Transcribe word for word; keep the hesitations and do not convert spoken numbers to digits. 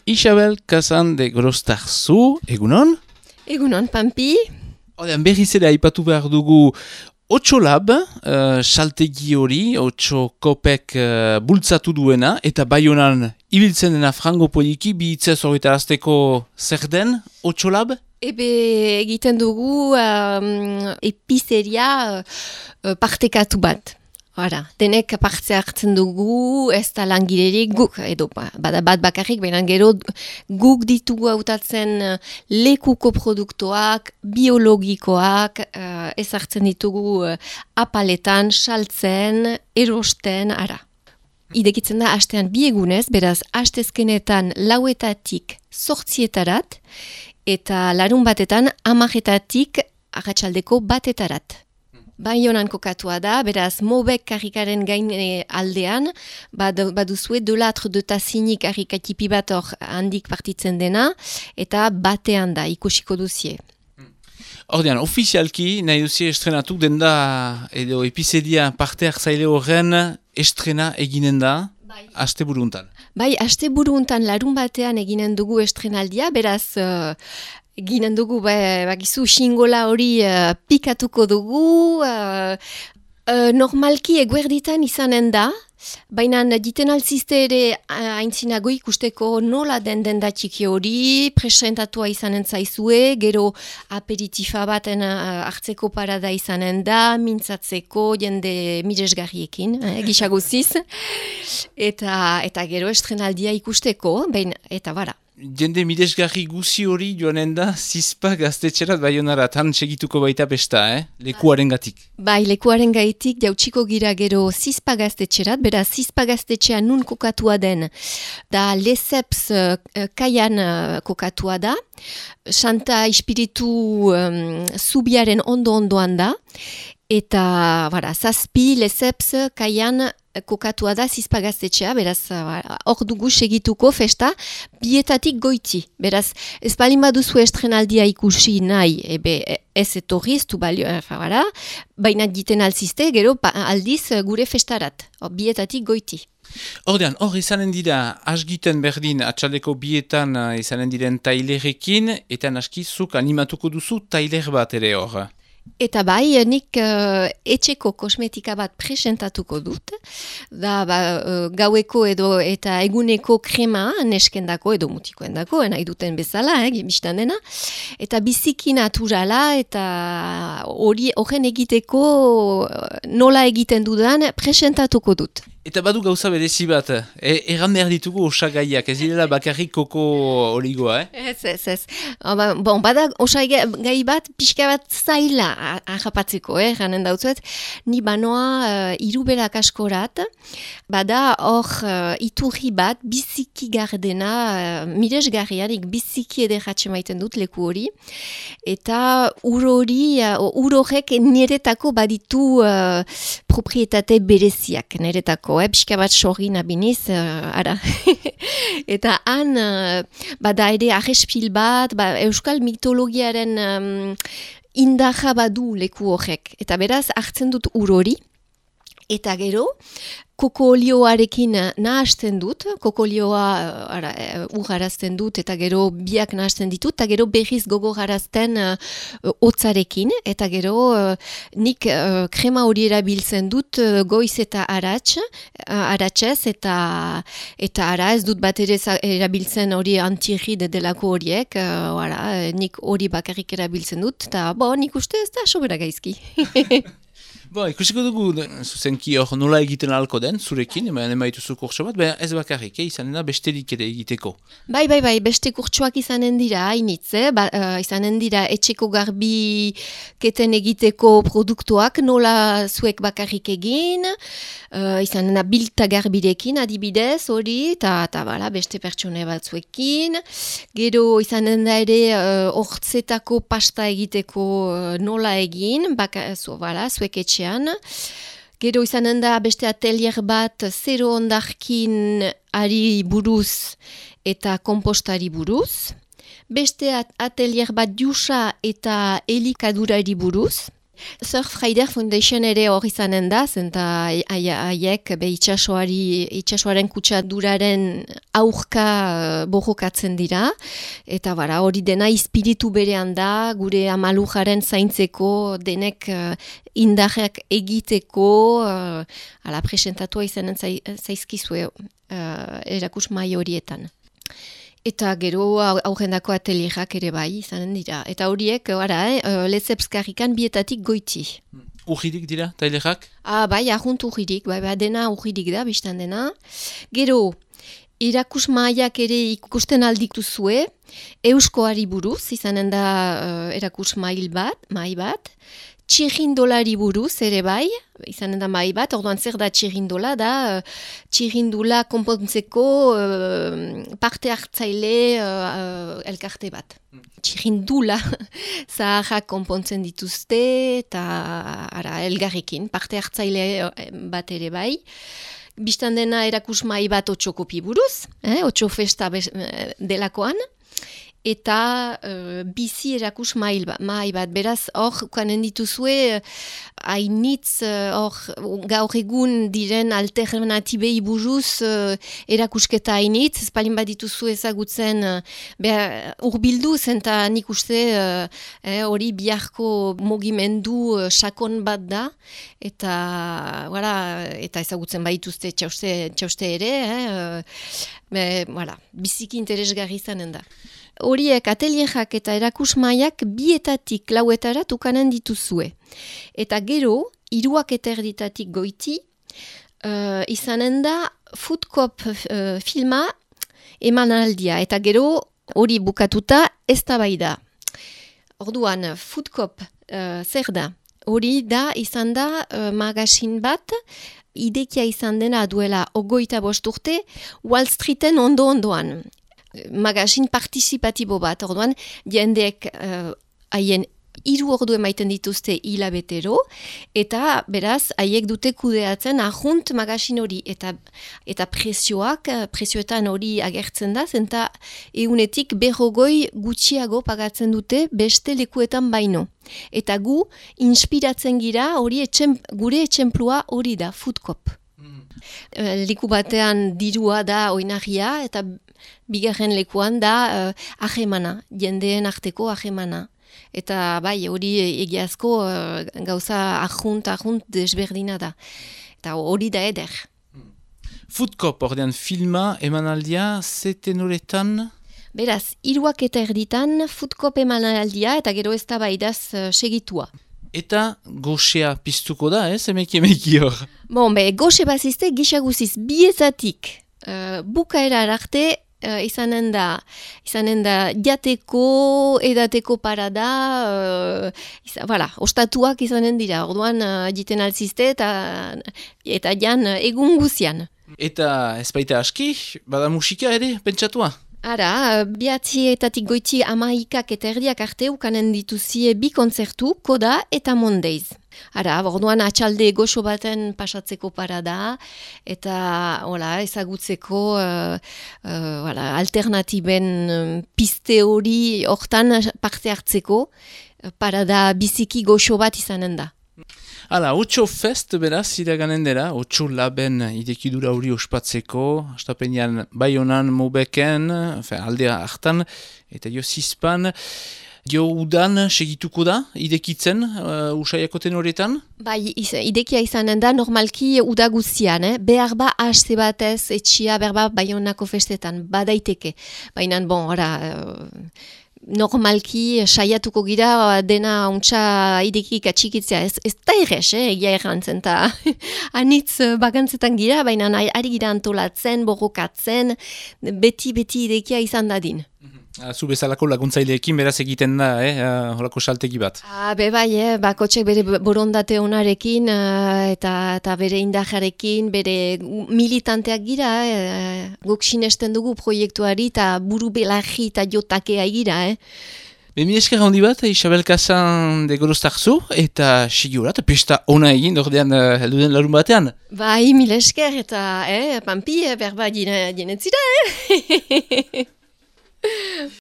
Isabel Kazan de Grostarzu, egunon? Egunon, Pampi. Odean, berriz ere aipatu behar dugu Otso Lab, uh, saltegi hori, Otso Kopek uh, bultzatu duena, eta Baionan ibiltzen dena frango poliki, bi hitzez horretarazteko zer den Otso Lab? Ebe egiten dugu um, epizeria uh, partekatu bat. Hora, denek parte hartzen dugu, ez da langilerik guk, edo bada bat bakarrik, baina gero guk ditugu hautatzen lekuko produktoak, biologikoak, uh, ez hartzen ditugu uh, apaletan, saltzen, erosten, ara. Idekitzen da hastean bi egunez, beraz hastezkenetan lauetatik zortzietarat, eta larun batetan amaretatik arratsaldeko batetarat. Baionan kokatua da, beraz Mobek karrikaren gain e, aldean, bad, baduzue dolatr de tazinik karrikatipi bat hor handik partitzen dena, eta batean da, ikusiko duzie. Ordean, ofizialki nahi duzie estrenatu den da, edo epizedia parte hartzaile horren estrena eginen da, bai. Aste buruntan. Bai, aste buruntan larun batean eginen dugu estrenaldia, beraz... Uh, Ginen dugu, bakizu, xingola hori uh, pikatuko dugu, uh, uh, normalki eguerditan izanen da, baina diten alzizte ere aintzinago ikusteko nola den denda txiki hori, presentatua izanen zaizue, gero aperitifa baten uh, hartzeko parada izanen da, mintzatzeko jende miresgarriekin, eh, gisaguziz, eta, eta gero estrenaldia ikusteko, baina, eta bara. Jende midesgarri guzi hori joanen da, zizpa gaztetxerat Baionara, tan segituko baita besta, eh? Lekuaren gatik. Bai, lekuaren gaitik jautsiko gira gero zizpa gaztetxerat, bera zizpa gaztetxea nun kokatua den, da Leseps uh, kaian uh, kokatua da, Santa Espiritu um, zubiaren ondo-ondoan da, eta bara, zazpi Leseps kaian kokatua da zizpa gaztetxea, beraz hor dugu segituko festa bietatik goiti. Beraz, ez balin baduzu estrenaldia ikusi nahi, ebe ez etorri, ez du balio, bara, baina diten alzizte, gero pa, aldiz gure festarat, hor, bietatik goiti. Ordean, hor izanen dira, asgiten berdin, atxaldeko bietan uh, izanen diren tailerekin, eta naskizuk animatuko duzu tailer bat ere hor. Eta bai, nik uh, etxeko kosmetika bat presentatuko dut, da ba, uh, gaueko edo eta eguneko krema neskendako edo mutikoendako, nahi duten bezala, eh, biztan dena, eta biziki naturala eta hori horren egiteko nola egiten dudan presentatuko dut. Eta badu gauza berezi bat, e, erran behar ditugu osagaiak, ez direla bakarrik koko oligoa, eh? Ez, ez, ez. Oba, bon, bada osagai bat pixka bat zaila ahapatzeko, eh, janen dautzuet. Ni banoa uh, iruberak askorat, bada hor uh, iturri bat biziki gardena, uh, miresgarriarik biziki ederratxe maiten dut leku hori, eta ur hori, uh, ur horrek niretako baditu uh, proprietate bereziak, niretako. Eh, pixka bat sorgin abiniz, uh, ara. Eta han, uh, bada ere arrespil bat, ba, euskal mitologiaren um, indarra badu leku horrek. Eta beraz, hartzen dut ur hori, eta gero, koko olioarekin nahasten dut, koko olioa ara, urgarazten dut, eta gero biak nahasten ditut, eta gero berriz gogorarazten uh, hotzarekin, eta gero uh, nik uh, krema hori erabiltzen dut uh, goiz eta arats, uh, aratsez, eta, eta ara ez dut bat ere erabiltzen hori antirrid delako horiek, uh, ara, nik hori bakarrik erabiltzen dut, eta bo, nik uste ez da sobera gaizki. Bo, ikusiko dugu, zuzenki hor nola egiten alko den, zurekin, ema emaituzu kurtso bat, baina ez bakarrik, eh, izanen da besterik ere egiteko. Bai, bai, bai, beste kurtsoak izanen dira, hainitz, eh? ba, uh, izanen dira etxeko garbi keten egiteko produktuak, nola zuek bakarrik egin, uh, izanen da bilta garbirekin adibidez, hori, eta bala, beste pertsone batzuekin, gero izanen da ere hortzetako uh, pasta egiteko uh, nola egin, baka, zu, bala, zuek etxe Gero izanen da beste atelier bat zero ondarkin ari buruz eta kompostari buruz. Beste atelier bat jusa eta elikadurari buruz. Surf Rider Foundation ere hori izanen da, zenta haiek be itxasoari, itxasoaren kutsaduraren aurka uh, borrokatzen dira, eta bara, hori dena espiritu berean da, gure amalujaren zaintzeko, denek uh, indarrak egiteko, uh, ala presentatua izanen zai, zaizkizue uh, erakus mai horietan. Eta gero aurrendako atelierak ere bai izanen dira. Eta horiek, gara, eh, Lezepskarrikan bietatik goiti. Urririk dira, tailerak? Ah, bai, ahunt urririk, bai, bai, dena urririk da, biztan dena. Gero, irakus maiak ere ikusten aldituzue, euskoari buruz, izanen da uh, erakus mail bat, mai bat, txirrindolari buruz ere bai, izanen da mai bat, orduan zer da txirrindola, da uh, txirrindula konpontzeko uh, parte hartzaile uh, elkarte bat. Txirrindula zaharrak konpontzen dituzte eta ara, elgarrekin, parte hartzaile bat ere bai. Bistan dena erakus mai bat otxokopi buruz, eh, otxo festa delakoan, eta uh, bizi erakus mai bat. Beraz, hor, ukanen dituzue, hainitz, hor, uh, gaur egun diren alternatibei buruz uh, erakusketa hainitz, ez palin bat dituzu ezagutzen uh, urbildu, zenta nik uste hori uh, eh, biharko mugimendu uh, sakon bat da, eta, voilà, eta ezagutzen badituzte txauste, txauste ere, eh, uh, be, voilà, biziki interesgarri izanen da. Horiek atelierak eta erakusmaiak bietatik lauetara tukanen dituzue. Eta gero, hiruak eta erditatik goiti, uh, izanen da Foodkop uh, filma emanaldia. Eta gero, hori bukatuta ez da bai da. Orduan, Foodkop uh, zer da? Hori da, izan da uh, magazin bat, idekia izan dena duela ogoita bost urte, Wall Streeten ondo-ondoan. Magazin partizipatibo bat, orduan, jendeek haien uh, hiru ordu emaiten dituzte hilabetero, eta beraz, haiek dute kudeatzen ahunt magazin hori, eta, eta prezioak, prezioetan hori agertzen da, zenta egunetik berrogoi gutxiago pagatzen dute beste lekuetan baino. Eta gu, inspiratzen gira, hori etxem, gure etxemplua hori da, Foodkop. Mm. Uh, leku batean dirua da oinarria, eta bigarren lekuan da uh, ahemana, jendeen arteko ahemana. Eta bai, hori egiazko uh, gauza ahunt, ahunt desberdina da. Eta hori da eder. Foodkop, ordean filma, emanaldia, zeten horretan? Beraz, hiruak eta erditan, Foodkop emanaldia, eta gero ez da baidaz uh, segitua. Eta goxea piztuko da, ez? Emeki emeki hor. Bon, be, goxe bazizte, gisa guziz, biezatik, uh, bukaera arte, Uh, izanen da, izanen da jateko, edateko parada, uh, izan, voilà, ostatuak izanen dira, orduan uh, jiten altzizte eta, eta jan uh, egun guzian. Eta ez baita aski, bada musika ere, pentsatua? Ara, bihatzietatik goiti amaikak eta erdiak arte ukanen dituzie bi kontzertu, Koda eta Mondeiz. Ara, orduan atxalde goxo baten pasatzeko parada, eta hola, ezagutzeko uh, uh, hola, alternatiben um, piste hori hortan parte hartzeko, parada biziki goxo bat izanen da. Hala, Otxo Fest beraz, iraganen dela, Otxo Laben idekidura hori ospatzeko, astapenean Baionan, Mobeken, aldea hartan, eta jo zizpan, jo udan segituko da, idekitzen, uh, usaiakoten horretan? Bai, iz, idekia izanen da, normalki udaguzian, eh? Behar ba haste batez, etxia, berba Baionako festetan, badaiteke. Baina, bon, ora... Uh, normalki saiatuko gira dena untsa idekik atxikitzea. Ez, ez da errez, eh, egia errantzen, eta anitz bakantzetan gira, baina ari gira antolatzen, borrokatzen, beti-beti idekia izan dadin. Zu bezalako laguntzaileekin beraz egiten da, eh, holako saltegi bat. Ah, be bai, eh, bakotxek bere borondate onarekin, uh, eta, eta bere indajarekin, bere militanteak gira, eh, guk sinesten dugu proiektuari, eta buru belarri eta jotakea gira, eh. Bemi esker handi bat, Isabel Kazan de Gorostarzu, eta sigurat, pesta ona egin, dordean uh, helduden larun batean. Bai, mil esker, eta, eh, pampi, berba, jinetzira, eh.